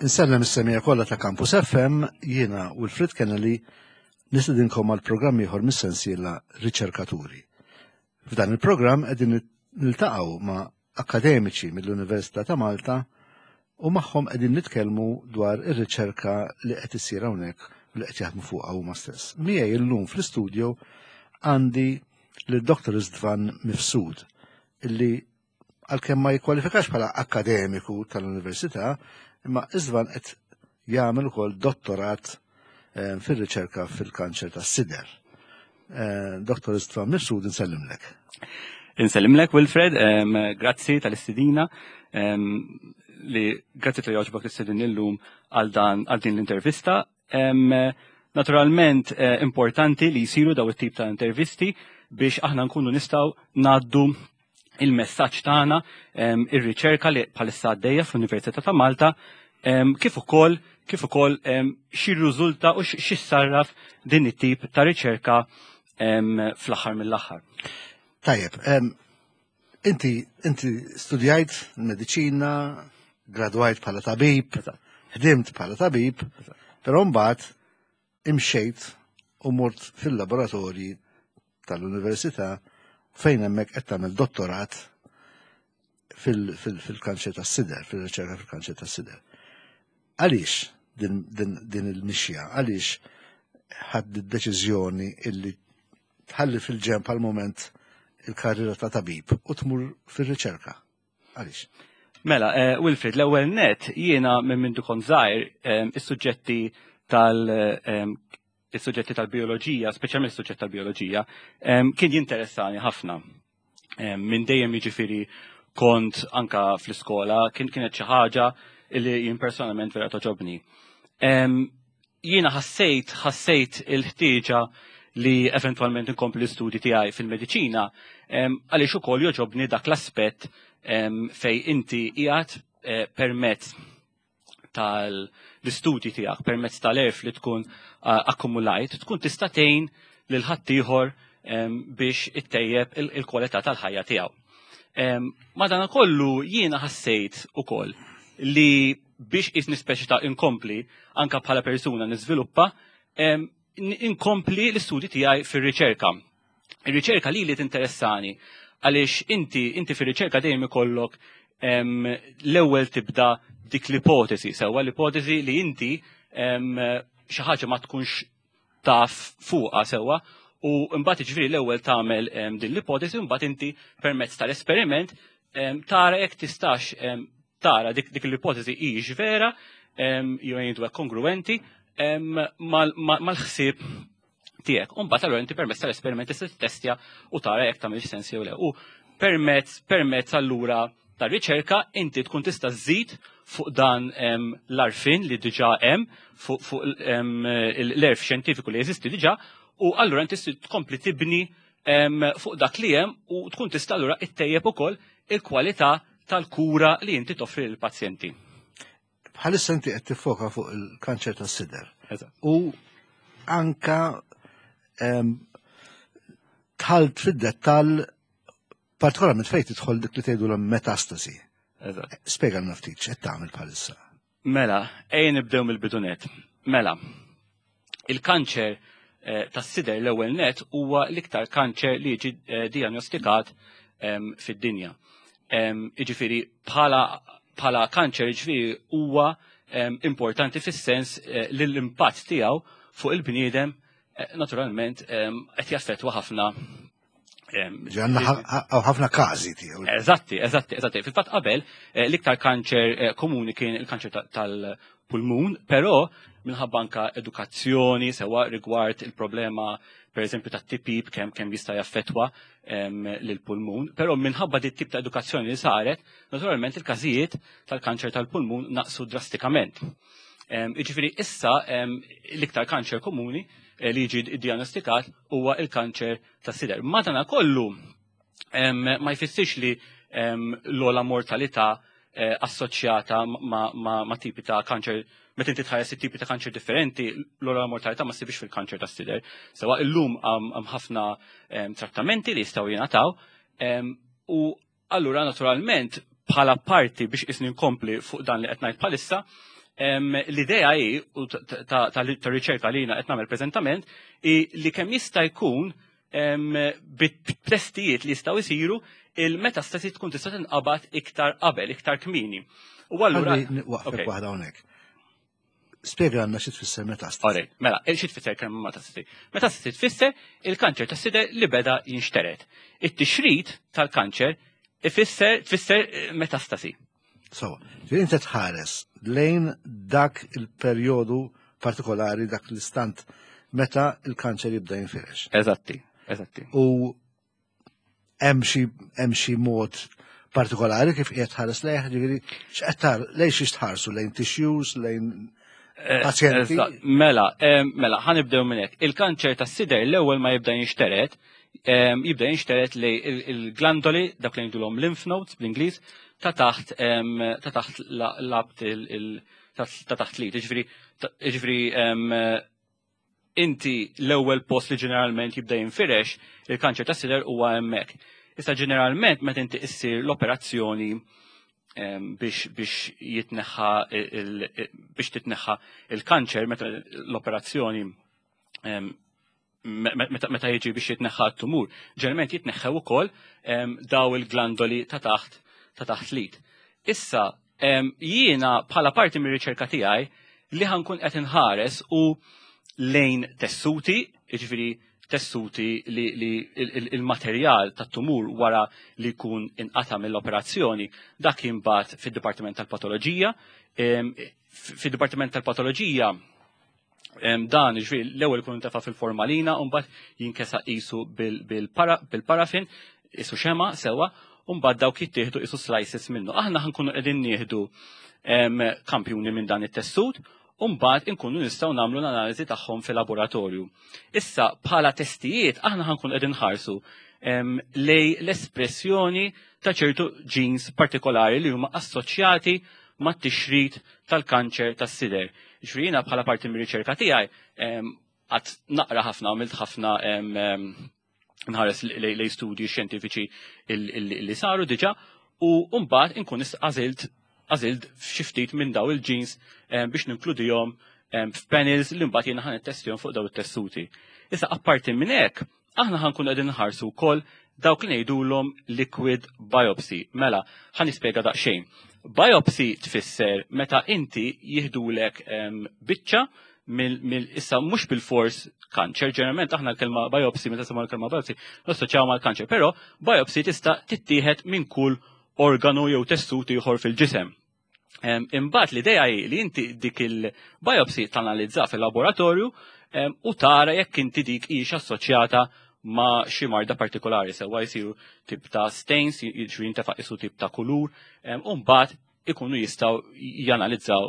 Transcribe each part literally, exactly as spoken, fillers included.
Insellem is-semmiegħa kollha ta' Campus F M, jiena Wilfred Kennelly nistedinkom għal programm ieħor mis-sensiela Riċerkaturi. F'dan il-programm qegħdin niltaqgħu ma' akademiċi mill-Università ta' Malta u magħhom qegħdin nitkellmu dwar ir-riċerka li qed issir hawnhekk u li qed jaħdmu fuqha huma stess. Miegħi illum fl-istudjo għandi lil Doktor Istvan Mifsud, illi għalkemm ma jikkwalifikax bħala akademiku tal-università, imma Istvan qed jagħmel ukoll dottorat eh, fir-riċerka fil-kanċer tas-sider. Eh, Doktor Istvan Mifsud, insellimlek. Insellimlek, Wilfred, em, grazzi tal-istedina, em, li grazzi talli għoġbok tistedinni llum għal dan għal din l-intervista. Em, Naturalment eh, importanti li jisiru daw it-tip ta' intervisti biex aħna nkunu nistgħu ngħaddu il-messaġġ tagħna, em, ir-riċerka li bħalissa għaddejja fl-Università ta' Malta, em, kif ukoll kif ukoll em, x'irriżulta u x'issarraf din it-tip ta' riċerka em, fl-aħħar mill-aħħar. Tajjeb, em, inti inti studjajt mediċina, gradwajt bħala tabib, ħdimt bħala tabib, però mbagħad imxejt u mort fil-laboratorji tal-università fejn hemmhekk qed tagħmel dottorat fil-kanċer tas-sider, fil-riċerka fil-kanċer tas-sider. Għaliex din, din, din il-mixja? Għaliex ħadt id-deċiżjoni illi tħalli fil-ġenb għal moment il-karriera ta' tabib u tmur fil-riċerka? Għaliex? Mela, eh, Wilfred, l-ewwel net jiena minn mindu kont żgħir eh, is-suġġetti tal eh, is-suġġetti tal-bioloġija, speċjalment is-suġġett tal-bioloġija, eh, kien jinteressani ħafna. Eh, Minn dejjem, jiġifieri, kont anka fl-iskola, kien kienet xi ħaġa li jien personalment vera togħġobni. Em, Jiena ħassejt ħassejt il-ħtieġa li eventwalment inkompli l-istudji tiegħi fil-mediċina em, għaliex ukoll jogħġobni dak l-aspett em, fej inti qiegħed eh, permezz tal-istudji tiegħek, permezz tal-għerf li tkun uh, akkumulajt, tkun tista' tgħin lil ħaddieħor em, biex ittejjeb il- il-kwalità tal-ħajja tiegħu. Em, Madana kollu jiena ħassejt ukoll li biex isni speċi ta' inkompli anka bħala persuna niżviluppa, em, n- inkompli l-istudji tiegħi fir-riċerka. Ir-riċerka li li tinteressani għaliex inti inti fir-riċerka dejjem ikollok em, l-ewwel tibda dik l-ipotesi, sewwa, l-ipotesi li inti em, xi ħaġa ma tkunx taf fuqha sewwa, u mbagħad, jiġifieri, l-ewwel tagħmel em, din l-ipotesi u mbagħad inti permezz tal-esperiment em, tara jekk tistax em, tara dik, dik l-ipotesi hijiex vera em, jew jgħidu hekk kongruenti em, mal- ma- mal-ħsieb tiegħek. U mbagħad allura inti permezz tal-esperiment tista' tittestja u tara jekk tagħmilx sens jew le. U permezz permezz allura tar-riċerka inti tkun tista' żżid fuq dan em, l-għarfien li diġà hemm, fuq fuq em, l-għerf xjentifiku li jeżisti diġà, u allura inti tkompli tibni em, fuq dak li hemm u tkun tista' allura ittejjeb ukoll il-kwalità tal-kura li inti toffri lill-pazjenti. Bħalissa inti qed tiffoka fuq il-kanċer tas-sider. Eżatt. U anka em, dħalt fid-dettall, partikolarment fejn tidħol dik li tgħidu l-metastasi. Eżatt. Spjegalna ftit x'qed tagħmel bħalissa. Mela, ejja nibdew mill-bidu nett. Mela, il-kanċer eh, tas-sider l-ewwel net huwa l-iktar kanċer li jiġi eh, diagnostikat em, fid-dinja. Em, Jiġifieri bħala bħala kanċer, jiġifieri, huwa em, importanti fis-sens eh, li l-impatt tiegħu fuq il-bniedem eh, naturalment em, qed jaffettwa ħafna em, Għandna ħafna każi tiegħu. Eżatti, eżatti, eżatti. Fil-fatt qabel eh, l-iktar kanċer eh, komuni kien il-kanċer ta- tal-pulmun, però minħabba anka edukazzjoni sewa rigward il-problema, per eżempju, ta' tipjip, kemm kemm jista' jaffettwa em, lil-pulmun, però minħabba dit tip ta' edukazzjoni li saret, naturalment il-każijiet tal-kanċer tal-pulmun naqsu drastikament. Em, Jiġifieri issa em, l-iktar kanċer komuni eh, li jiġi diagnostikat huwa il-kanċer tas-sider. Madana kollu em, ma jfissirx li em, l-ogħla mortalità eh, assoċjata ma, ma, ma tipi ta' kanċer. Meta inti tħares it-tipi ta' kanċer differenti, l-ogħla mortalità ma ssibx fil-kanċer tas-sider. Sewwa, illum hemm ħafna em, trattamenti li jistgħu jingħataw em, u allura naturalment bħala parti biex isni nkompli fuq dan li qed ngħid bħalissa, L-idea hi u ta' riċerka li jiena qed nagħmel preżentament hi li kemm jista' jkun bit-testijiet li jistgħu jsiru, il-metastasi tkun tista' tinqabad iktar qabel, iktar kmieni. U allura waqfek waħda hawnhekk. Spjega għandna xi tfisser metastasi. Mela, xi tfisser kemm metastasi? Metastasi tfisser il-kanċer tas-sider li beda jinxtered. It-tixrid tal-kanċer ifisser tfisser metastasi. So, inti tħares lejn dak il-perjodu partikolari, dak l-istant meta il-kanċer jibda jinfirex. Eżatti, eżatti. U hemm xi hemm xi mod partikolari kif qiegħed tħares lejh, ġifieri x'qed lejn xi tħarsu, lejn tissues, lejn eh, pazjenti? Mela, mela, ħa nibdew minn hekk. Il-kanċer tas-sider l-ewwel ma jibda jinxtered, jibda jinxtered lejn il-glandoli, dak li ngħidulhom lymph nodes bl-Ingliż, ta' taħt ta' taħt l-abt, ta' taħt l-id. Ġifieri ġifieri inti l-ewwel post li ġeneralment jibda jinfirex il-kanċer tas-sider huwa hemmhekk. Issa ġeneralment meta inti issir l-operazzjoni biex biex jitneħħa biex titneħħa il-kanċer, meta l-operazzjoni, meta jiġi biex jitneħħa t-tumur, ġeneralment jitneħħew ukoll daw il-glandoli ta' taħt ta' taħt l-id. Issa jiena bħala parti mir-riċerka tiegħi li ħa nkun qed inħares u lejn tessuti, jiġifieri tessuti li, li il-materjal tat-tumur wara li jkun inqata mill-operazzjoni, dak jinbagħat fid-Dipartiment tal-Patoloġija. Fid-Dipartiment tal-Patoloġija dan, ġifieri, l-ewwel ikun intefa' fil-formalina u mbagħad jinkesa qisu bil-parafin, qisu xema sewa, u mbagħad dawk jittieħdu qisu slices minnu. Aħna ħa nkunu qegħdin nieħdu kampjuni minn dan it-tessut u mbagħad inkunu nistgħu nagħmlu l-analiżi tagħhom fil-laboratorju. Issa bħala testijiet aħna ħa nkunu qegħdin nħarsu lejn l-espressjoni ta' ċertu genes partikolari li huma assoċjati mat-tixrid tal-kanċer tas-sider. Ġifieri jiena bħala parti mir-riċerka tiegħi għad naqra ħafna, għamilt ħafna nħares lejn studji xjentifiċi li saru diġà u mbagħad inkun għażilt għażilt xi ftit minn daw il-genes biex ninkludihom f'panels li mbagħad jiena ħa nittestjahom fuq daw it-tessuti. Issa apparti minn hekk, aħna ħa nkunu qegħdin nħarsu wkoll dawk li ngħidulhom liquid biopsy. Mela, ħa nispjega daqsxejn. Biopsy tfisser meta inti jiħdulek biċċa mill, issa mhux bil-fors kanċer, ġeneralment aħna l-kelma biopsy, meta semma l-kelma biopsy, nassoċjaw mal-kanċer, però biopsy tista' tittieħed minn kull organu jew tessut ieħor fil-ġisem. Imbagħad l-idea hi li inti dik il-biopsy tanalizza fil-laboratorju u tara jekk inti dik hix assoċjata ma' xi marda partikolari, sewwa jsiru tip ta' stains, jiġri jintefa' isu tip ta' kulur, u mbagħad ikunu jistgħu janalizzaw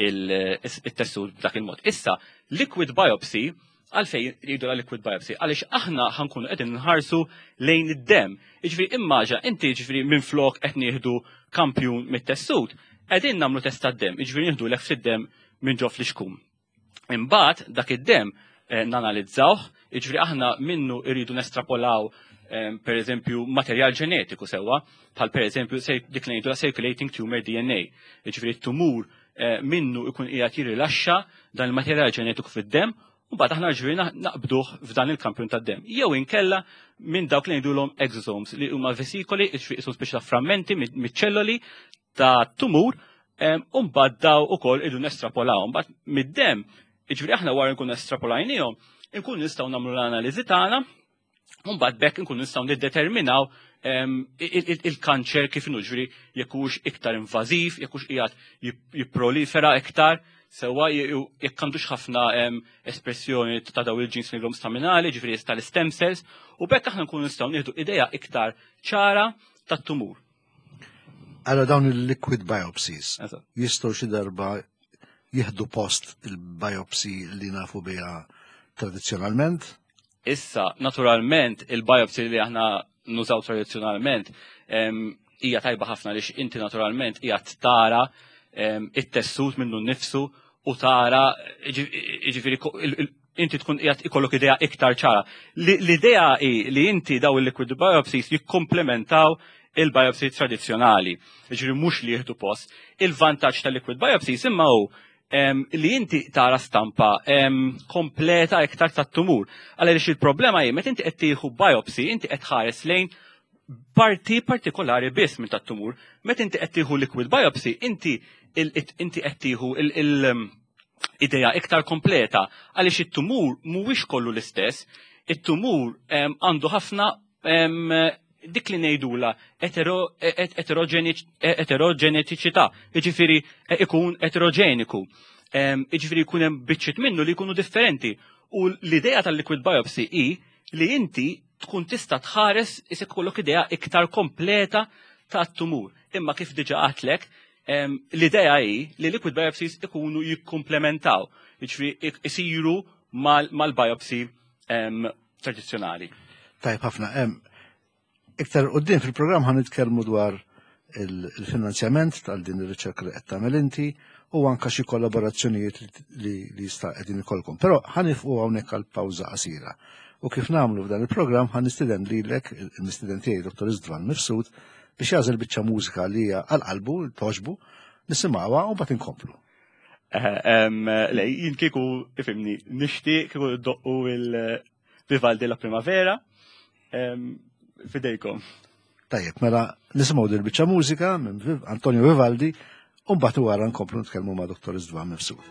il-tessut b'dak il-mod. Issa, liquid biopsy, għalfejn jgħidu la liquid biopsy? Għaliex aħna ħa nkunu qegħdin nħarsu lejn id-dem. Jiġifieri immaġina inti, jiġifieri minn flok qed nieħdu kampjun mit-tessut, qegħdin nagħmlu test tad-dem, jiġifieri nieħdu lek fid-dem minn ġo flixkun. Imbagħad dak id-dem eh, nanalizzawh, jiġifieri aħna minnu irridu nestrapolaw eh, per eżempju materjal ġenetiku sewwa, bħal per eżempju dik li ngħidu la circulating tumor D N A. Jiġifieri t-tumur eh, minnu ikun qiegħed jirrilaxxa dan il-materjal ġenetiku fid-dem u mbagħad aħna ġifieri naqbduh f'dan il-kampjun tad-dem. Jew inkella minn dawk li ngħidulhom exosomes, li huma vesikoli, jiġifieri qisu speċi ta' frammenti miċ-ċelloli ta' tumur, u mbagħad daw ukoll idu nestrapolaw. Mbagħad mid-dem, jiġifieri aħna wara nkun estrapolajnihom, inkun nistgħu nagħmlu l-analiżi tagħna, u mbagħad bekk inkun nistgħu niddeterminaw il-kanċer kif inhu, ġifieri jekk hux iktar invażiv, jekk hux qiegħed jipprolifera iktar, sewwa jekk għandux ħafna espressjoni ta' daw il-genes li staminali, ġifieri tal-stem cells, u bekk aħna nkunu nistgħu nieħdu idea iktar ċara tat-tumur. Allora dawn il-liquid biopsies jistgħu xi darba jieħdu post il-biopsy li nafu biha tradizzjonalment? Issa, naturalment, il-biopsy li aħna nużaw tradizzjonalment hija tajba ħafna lix inti naturalment hija tara it-tessut minnu nnifsu u tara, ġifieri, inti tkun qiegħed ikollok idea iktar ċara. L-idea hi li inti daw il-liquid biopsies jikkomplementaw il-biopsy tradizzjonali. Jiġifieri mhux li jieħdu post. Il-vantaġġ tal-liquid biopsy imma hu li inti tara stampa kompleta iktar tat-tumur. Għaliex il-problema hi meta inti qed tieħu biopsy, inti qed tħares lejn parti partikolari biss minn tat-tumur. Meta inti qed tieħu liquid biopsy, inti inti qed tieħu il-idea iktar kompleta għaliex it-tumur mhuwiex kollu l-istess, it-tumur għandu ħafna dik li ngħidula eteroġenetiċità, jiġifieri ikun eterogeniku. Jiġifieri jkun hemm biċċiet minnu li jkunu differenti. U l-idea tal-liquid biopsy hi li inti tkun tista' tħares isek kollok idea iktar kompleta tat-tumur. Imma kif diġà għedtlek, l-idea hi li liquid biopsies ikunu jikkumplementaw, jiġifieri isiru mal-biopsy tradizzjonali. Tajb ħafna. Iktar quddiem fil-programm ħa nitkellmu dwar il-finanzjament tal din ir-riċerka li qed tagħmel inti u anka xi kollaborazzjonijiet li jista' qegħdin ikollkom. Però ħa nieqfu hawnhekk għal pawża qasira. U kif nagħmlu f'dan il-programm ħa nistieden lilek, il-mistieden tiegħi Dottor Istvan Mifsud, biex jagħżel biċċa mużika li hija għal qalbu, togħġbu, nisimgħuha u mbagħad inkomplu. Le, jien kieku ifhimni, nixtieq kieku doqqu il-Vivaldi La Primavera fidejkom. Tajjeb, mela nisimgħu dil biċċa mużika minn Antonio Vivaldi u mbagħad wara nkomplu nitkellmu ma' Dottor Istvan Mifsud.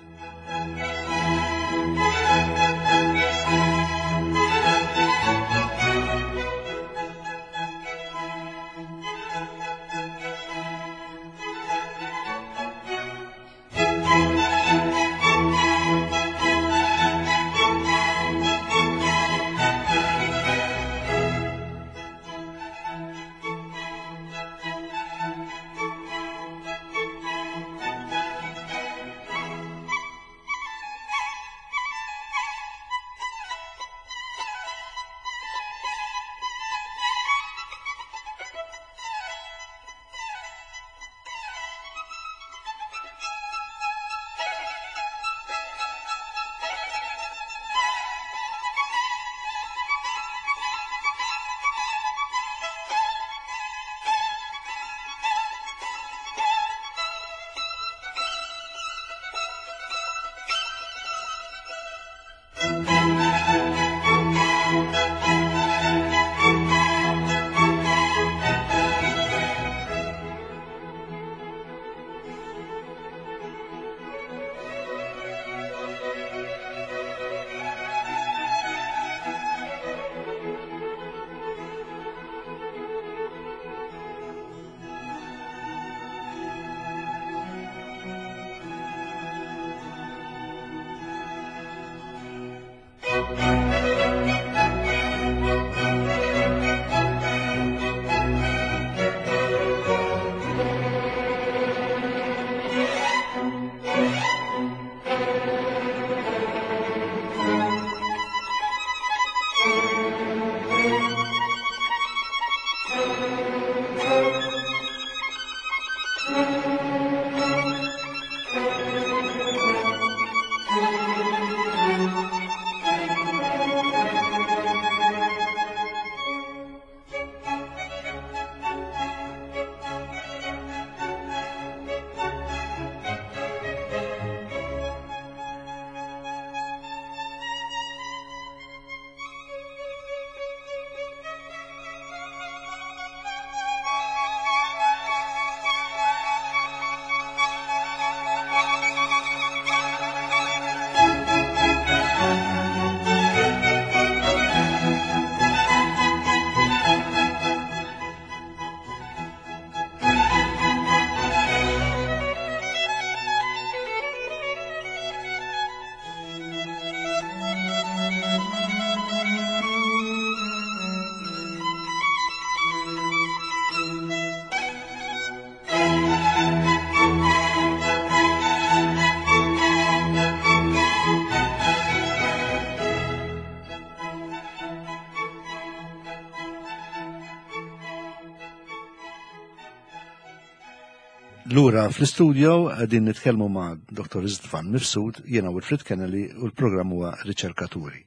Lura fl-istudio qegħdin nitkellmu ma' Dottor Istvan Mifsud, jiena Wilfred Kennelly u l-programm huwa Riċerkaturi.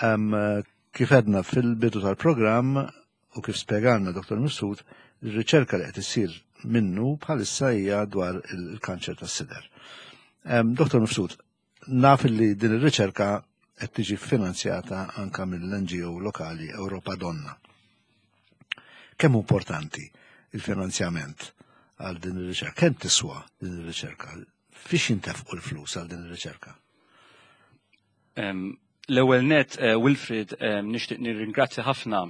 Um, kif għedna fil-bidu tal-programm U kif spjegalna Dottor Mifsud, ir-riċerka li qed issir minnu bħalissa hija dwar il-kanċer tas-sider. Dottor Mifsud, naf li din ir-riċerka qed tiġi finanzjata anka mill-N G O lokali Europa Donna. Kemm importanti il-finanzjament għal din ir-riċerka? Kemm tiswa din ir-riċerka? Fiex jintefqu l-flus għal din ir-riċerka? Em, l-ewwel net, eh, Wilfred, em, nixtieq nirringrazzja ħafna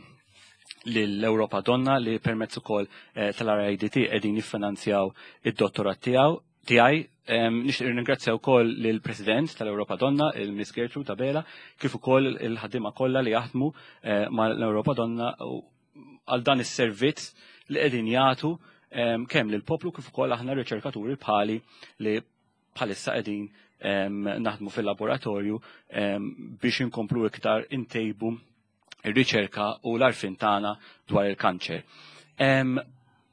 lill-Europa Donna li permezz ukoll, eh, tal-R I D T qegħdin jiffinanzjaw id-dottorat tiegħu tiegħi. Em, nixtieq nirringrazzja wkoll lill-President tal-Europa Donna, il-Miss Gertrude Abela, kif ukoll il-ħaddiema kollha li jaħdmu, eh, mal-Europa Donna u għal dan is-servizz li qegħdin jagħtu, em, kemm lill-poplu kif ukoll aħna riċerkaturi bħali li bħalissa qegħdin, em, naħdmu fil-laboratorju, em, biex inkomplu iktar intejbu ir-riċerka u l-għarfien tagħna dwar il-kanċer. Em,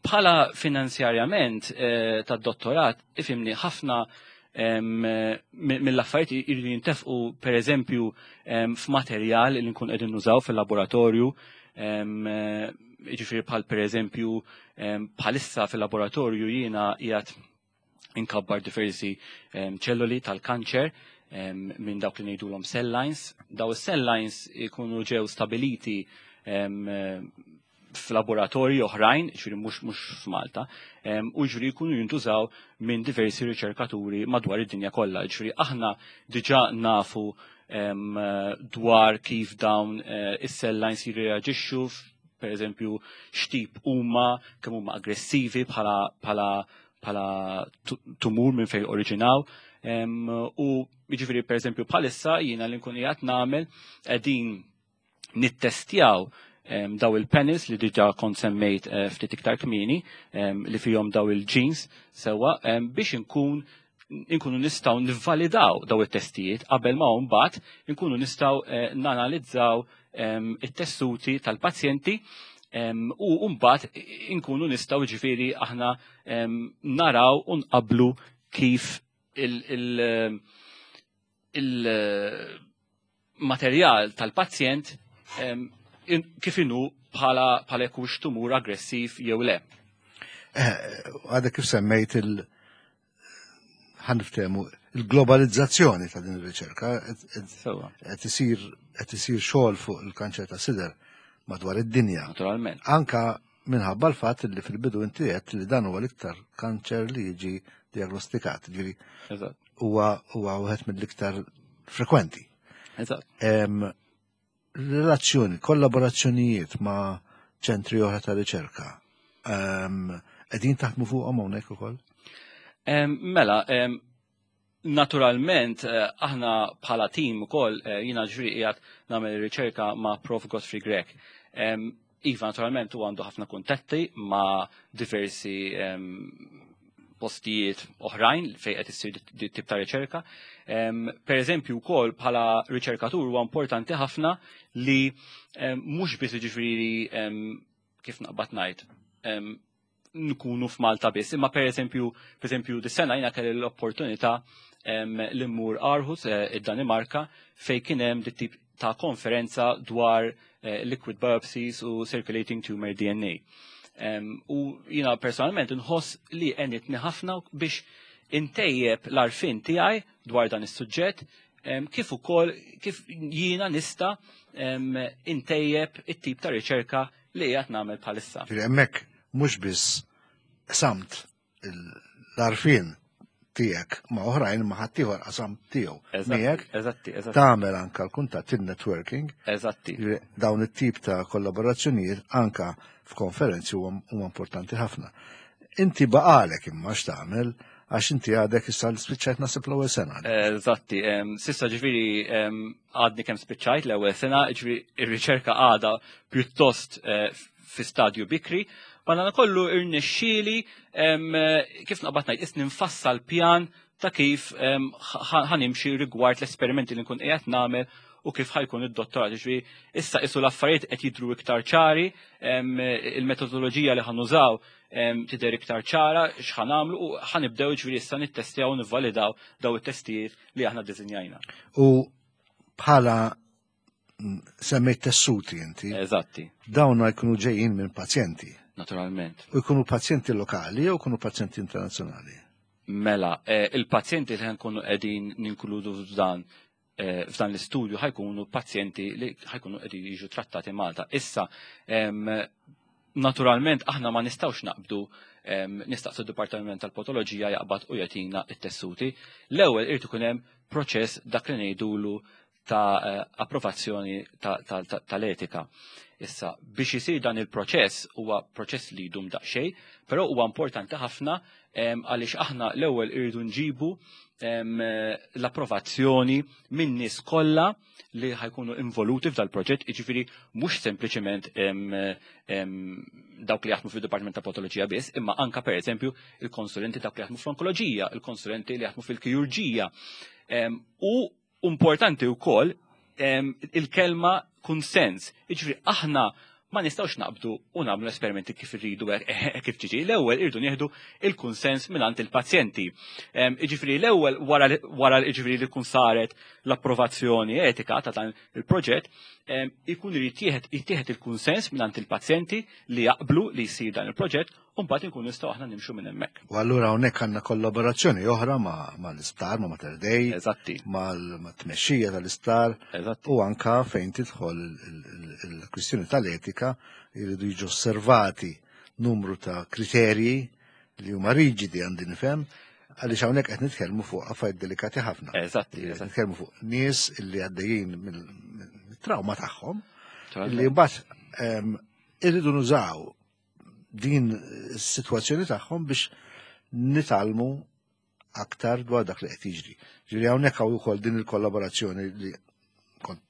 bħala finanzjarjament, eh, tad-dottorat, ifimni ħafna, em, mi-, mill-affarijiet jridu jintefqu per eżempju, em, f'materjal li nkun qegħdin nużaw fil-laboratorju, em, jiġifieri bħal per eżempju, em, bħalissa fil-laboratorju jiena qiegħed inkabbar diversi, em, ċelloli tal-kanċer, em, minn dawk li ngħidulhom cell lines. Daw is-cell lines ikunu ġew stabiliti, em, f'laboratorji oħrajn, ġifieri mhux, mhux f'Malta, em, u ġifieri jkunu jintużaw minn diversi riċerkaturi madwar id-dinja kollha. Ġifieri aħna diġà nafu, em, dwar kif dawn, eh, is-cell lines jirreaġixxu, per eżempju, x'tip huma, kemm huma aggressivi bħala, bħala, bħala tu-, tumur minn fejn oriġinaw. Em, u jiġifieri per eżempju bħalissa jiena li nkun qiegħed nagħmel qegħdin nittestjaw, em, daw il-panels li diġà kont semmejt, eh, ftit iktar kmieni, em, li fihom daw il-genes sewwa, em, biex inkun, inkunu nistgħu nivvalidaw daw it-testijiet qabel ma mbagħad inkunu nistgħu, eh, nanalizzaw, em, it-tessuti tal-pazjenti, em, u mbagħad inkunu nistgħu ġifieri aħna, em, naraw u nqablu kif il-, il-, il-materjal tal-pazjent, em, in-, kif inhu bħala, bħala jekk hux tumur aggressiv jew le. Eh, għadha kif semmejt il- ħaniftehmu il-globalizzazzjoni ta' din ir-riċerka, qed, qed, Sewwa. qed isir, qed isir xogħol fuq il-kanċer ta' sider madwar id-dinja. Naturalment. Anka minħabba l-fatt li fil-bidu inti għedt li dan huwa l-iktar kanċer li jiġi diagnostikat, ġifieri Eżatt. huwa, huwa wieħed mill-iktar frekwenti. Eżatt. Em, relazzjoni, kollaborazzjonijiet ma' ċentri oħra ta' riċerka, em, qegħdin taħdmu fuqhom hawnhekk ukoll? Em, mela, em, naturalment, eh, aħna bħala tim ukoll, eh, jiena ġifieri qiegħed nagħmel riċerka ma' Professor Godfrey Grech. Em, Iva, naturalment, u għandu ħafna kuntatti ma' diversi, em, postijiet oħrajn fejn qed issir di tip ta' riċerka. Em, per eżempju wkoll bħala riċerkatur huwa importanti ħafna li, em, mhux biss jiġifieri, em, kif naqbad ngħid, em, nkunu f'Malta biss, imma per eżempju, per eżempju dis-sena jiena kelli l-opportunità, em, li mmur Aarhus, eh, id-Danimarka, fejn kien hemm dit tip ta' konferenza dwar, eh, liquid biopsies u circulating tumor D N A. Em, u jiena personalment nħoss li għenitni ħafna biex intejjeb l-għarfien tiegħi dwar dan is-suġġett, em, kif ukoll kif jiena nista', em, intejjeb it-tip ta' riċerka li qiegħed nagħmel bħalissa. Ġifieri hemmhekk mhux biss samt l-għarfien tiegħek ma' oħrajn ma' ħaddieħor qasam tiegħu. Eżatti, Miegħek eżatti, eżatti. tagħmel anka l-kuntatt il-networking. Eżatti. Ġifieri dawn it-tip ta' kollaborazzjonijiet anka f'konferenzi huma, huma importanti ħafna. Inti baqalek imma x'tagħmel għax inti għadek issa spiċċajt nasib l-ewwel sena. Eżatti, em, sissa ġifieri, em, għadni kemm spiċċajt l-ewwel sena, ġifieri ir-riċerka għadha pjuttost, eh, fi stadju bikri, ma dan kollu irnexxieli, em, kif naqbad ngħid, isni nfassal pjan ta' kif, em, ħa-, ħanimxi rigward l-esperimenti li nkun qiegħed nagħmel u kif ħajkun id-dottorat. Ġifieri issa isu l-affarijiet qed jidhru iktar ċari, em, il-metodoloġija li ħanużaw, em, tidher iktar ċara x'ħanamlu u ħanibdew ġifieri issa nittestjaw u nivvalidaw daw it-testijiet li aħna ddisinjajna. U bħala Semmejt tessuti inti. Eżatti. Dawn jkunu ġejjin minn pazjenti. Naturalment. U jkunu pazjenti lokali jew jkunu pazjenti internazzjonali? Mela, eh, il-pazjenti li ħankunu qegħdin ninkludu f'dan eh, f'dan l-istudju ħajkunu pazjenti li ħajkunu qegħdin jiġu trattati Malta. Issa, naturalment aħna ma nistgħux naqbdu nistaqsu d-Dipartiment tal-Patoloġija jaqbad u jagħtina t-tessuti. L-ewwel irid ikun hemm proċess dak li ngħidulu ta' eh, approvazzjoni tal-etika. Issa, biex isir dan il-proċess huwa proċess li jdum daqsxejn, però huwa importanti ħafna għaliex aħna l-ewwel irridu nġibu l-approvazzjoni minn nies kollha li ħajkunu involuti f'dal proġett, jiġifieri mhux sempliċement dawk li jaħdmu fil-Dipartiment ta' Patoloġija biss, imma anka pereżempju il-konsulenti dawk li jaħdmu fl-onkoloġija, il-konsulenti li jaħdmu fil-kirurġija. U importanti wkoll il-kelma kunsens. Jiġifieri aħna ma nistgħux naqbdu u nagħmlu esperimenti kif irridu kif ġiġi. L-ewwel irridu nieħdu il-kunsens mingħand il-pazjenti. Jiġifieri l-ewwel wara jiġifieri li tkun saret l-approvazzjoni etika ta' dan il-proġett, ikun irid jittieħed il-kunsens mingħand il-pazjenti li jaqblu li jsir dan il-proġett u mbagħad inkunu nistgħu aħna nimxu minn hemmhekk. U allura hawnhekk għandna kollaborazzjoni oħra ma' l-isptar, ma' Mater Dei, Eżatti. ma' tmexxija tal-isptar u anka fejn tidħol il-kwistjoni tal-etika jridu jiġu osservati numru ta' kriterji li huma riġidi, għandi nifhem, għaliex hawnhekk qed nitkellmu fuq affarijiet delikati ħafna. Eżatti. Qed nitkellmu fuq nies illi għaddejjin mill-trauma tagħhom li mbagħad irridu nużaw din is-sitwazzjoni tagħhom biex nitgħallmu aktar dwar dak li qed jiġri. Ġifieri hawnhekk hawn ukoll din il-kollaborazzjoni li kont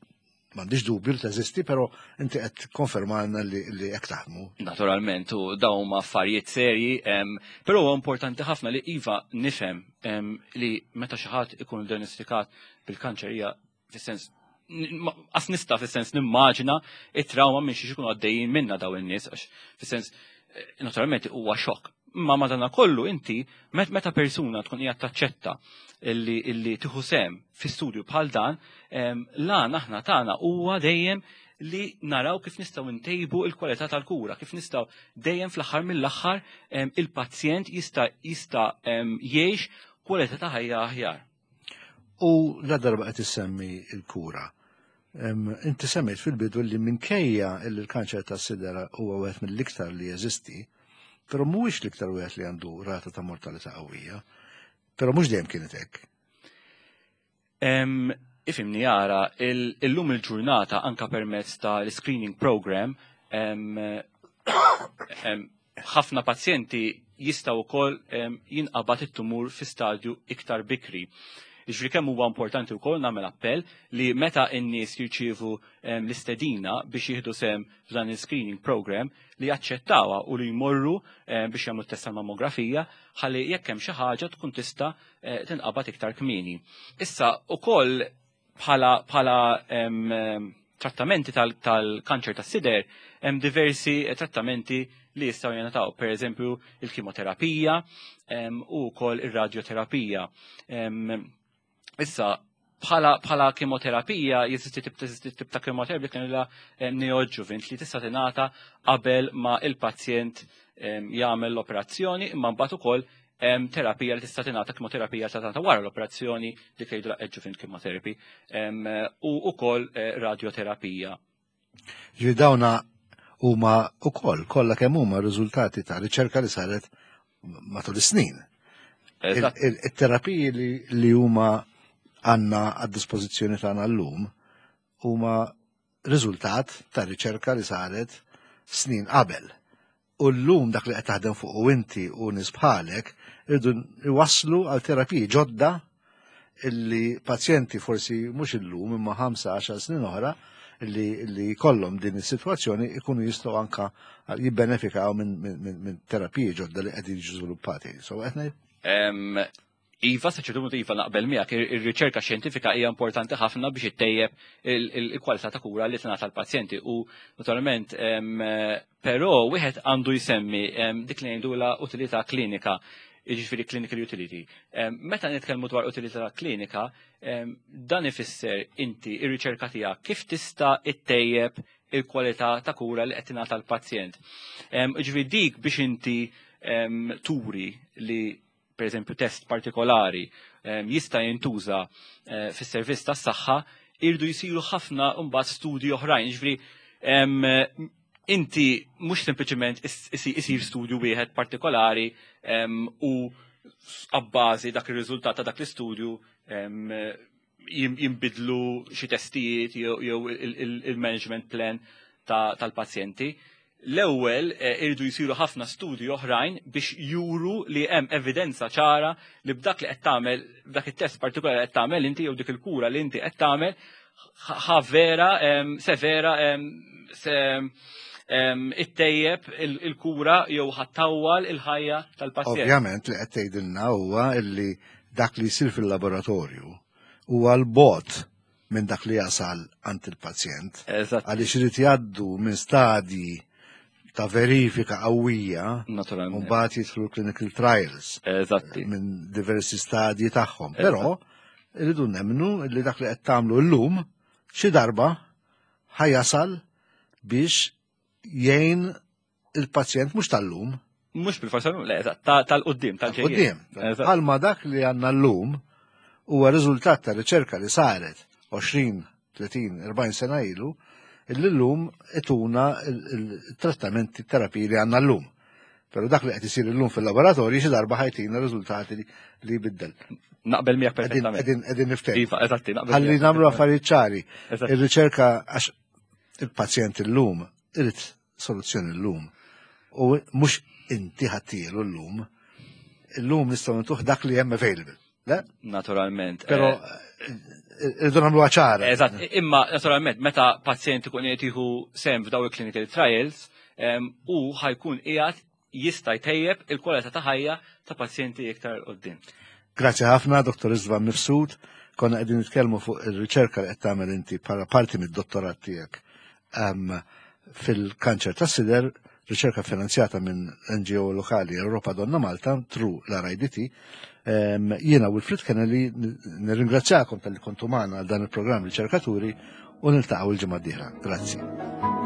m'għandix dubju li teżisti, però inti qed konfermalna li li hekk taħdmu. Naturalment, u dawn huma affarijiet serji, però huwa importanti ħafna li iva nifhem li meta xi ħadd ikun diagnostikat bil-kanċer hija fis-sens qas nista' fis-sens nimmaġina it-trauma minn xi jkunu għaddejjin minna daw in-nies, għax fis-sens naturalment huwa xokk. Ma madana kollu inti meta persuna tkun hija taċċetta illi illi tieħu sehem fi studju bħal dan, lan aħna tagħna huwa dejjem li naraw kif nistgħu ntejbu il-kwalità tal-kura, kif nistgħu dejjem fl-aħħar mill-aħħar il-pazjent jista' jista' jgħix kwalità ta' ħajja aħjar. U la darba qed issemmi l-kura. Inti semmejt fil-bidu li minkejja li l-kanċer tas-sidera huwa wieħed mill-iktar li jeżisti, però mhuwiex l-iktar wieħed li għandu rata ta' mortalità qawwija. Però mhux dejjem kienet hekk. Ifhimni jara, illum il-ġurnata anka permezz ta' l-screening program, ħafna pazjenti jistgħu wkoll jinqabad it-tumur fi stadju iktar bikri. Jiġifieri kemm huwa importanti wkoll nagħmel appell li meta n-nies jirċievu l-istedina biex jieħdu sehem f'dan il-screening program li jaċċettawha u li jmorru biex jagħmlu test tal-mammografija ħalli jekk hemm xi ħaġa tkun tista' tinqabad iktar kmieni. Issa ukoll bħala bħala trattamenti tal-kanċer tas-sider hemm diversi trattamenti li jistgħu jingħataw, pereżempju il-kimoterapija u wkoll ir-radjoterapija. Issa, bħala bħala kimoterapija, jeżisti tip tip ta' kimoterapija kien la neoadjuvant li tista' tingħata qabel ma il-pazjent jagħmel l-operazzjoni, imma mbagħad ukoll terapija li tista' tingħata, kimoterapija ta' tingħata wara l-operazzjoni, dik jgħidu adjuvant chemotherapy, u wkoll radioterapija. Ġifieri dawna huma wkoll kollha kemm huma riżultati ta' riċerka li saret matul is-snin. Il-terapiji li huma għandna għad-dispożizzjoni tagħna llum huma riżultat ta' riċerka li saret snin qabel. U llum dak li qed taħdem fuq u inti u nies bħalek irdu iwasslu għal terapiji ġodda illi pazjenti forsi mhux illum imma ħamsa għaxar snin oħra illi li jkollhom din is-sitwazzjoni ikunu jistgħu anka jibbenefikaw minn min, min, min terapiji ġodda li qegħdin jiġu żviluppati. So qed ngħid? Iva, sa ċertu punt iva, naqbel miegħek, ir-riċerka xjentifika hija importanti ħafna biex ittejjeb il-kwalità ta' kura li tingħata l-pazjenti u naturalment, però wieħed għandu jsemmi dik li ngħidula utilità klinika. Jiġifieri clinical utility. Meta nitkellmu dwar utilità klinika, dan ifisser inti ir-riċerka tiegħek kif tista' ittejjeb il-kwalità ta' kura li qed tingħata l-pazjent. Jiġifieri dik biex inti turi li per eżempju test partikolari jista' jintuża eh, fis-servizz tas-saħħa, irdu jsiru ħafna mbagħad studji oħrajn. Jiġifieri inti mhux sempliċement isir studju wieħed partikolari u abbażi dak ir-riżultat ta' dak l-istudju jimbidlu xi testijiet jew il-management plan tal-pazjenti. L-ewwel eh, irridu jsiru ħafna studji oħrajn biex juru li hemm evidenza ċara li b'dak li qed tagħmel, b'dak it-test partikolari qed tagħmel inti jew dik il-kura li inti qed tagħmel ħa vera severa se ittejjeb il-kura jew ħattawwal il-ħajja tal-pazjent. Ovvjament li qed tgħidilna huwa illi dak li jsir fil-laboratorju huwa l-bot minn dak li jasal għand il-pazjent. Għaliex irid jgħaddu minn stadji ta' verifika qawwija. Naturalment. U mbagħad jidħlu clinical trials. Eżatti. Minn diversi stadji tagħhom. Però irridu nemmnu li dak li qed tagħmlu llum xi darba ħajasal biex jgħin il-pazjent mhux tal-lum. Mhux bil-forsa le, eżatt, tal-qudiem, tal-qudiem. Bħalma dak li għandna llum huwa riżultat ta' riċerka li saret għoxrin, tletin, erbgħin sena ilu, illi llum ituna il-trattamenti, terapiji li għandna llum. Pero dak li qed isir illum fil-laboratorji xi darba ħajtina riżultati li jbiddel. Naqbel miegħek perfettament. Qegħdin niftehmu. Iva, eżatti, naqbel. Ħalli nagħmlu affarijiet ċari. Ir-riċerka għax il-pazjent illum irid soluzzjoni llum. U mhux inti ħattielu llum. Illum nistgħu ntuh dak li hemm available. Le? Naturalment. Però irridu nagħmluha ċara. Eżatt, imma naturalment meta pazjent ikun qed jieħu sehem f'daw il-clinical trials, u ħajkun qiegħed jista' jtejjeb il-kwalità ta' ħajja ta' pazjenti iktar quddiem. Grazzi ħafna, Dottor Istvan Mifsud. Konna qegħdin nitkellmu fuq ir-riċerka li qed tagħmel inti bħala parti mid-dottorat tiegħek fil-kanċer tas-sider, riċerka finanzjata minn N G O lokali Europa Donna Malta through l-R I D T. Jiena Wilfred Kennelly nirringrazzjakom tal-li kontu magħna għal dan il-programm Riċerkaturi u niltaqgħu l-ġimgħa d-dieħla. Grazzi.